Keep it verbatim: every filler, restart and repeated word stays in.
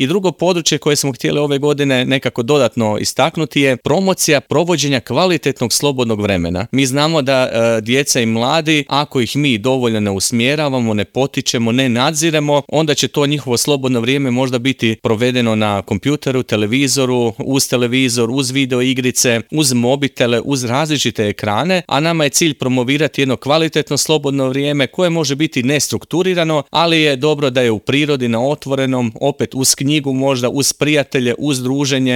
I drugo područje koje smo htjeli ove godine nekako dodatno istaknuti je promocija provođenja kvalitetnog slobodnog vremena. Mi znamo da e, djeca i mladi, ako ih mi dovoljno ne usmjeravamo, ne potičemo, ne nadziremo, onda će to njihovo slobodno vrijeme možda biti provedeno na kompjuteru, televizoru, uz televizor, uz video igrice, uz mobitele, uz različite ekrane, a nama je cilj promovirati jedno kvalitetno slobodno vrijeme koje može biti nestrukturirano, ali je dobro da je u prirodi, na otvorenom, opet uz knjigu možda, uz prijatelje, uz druženje,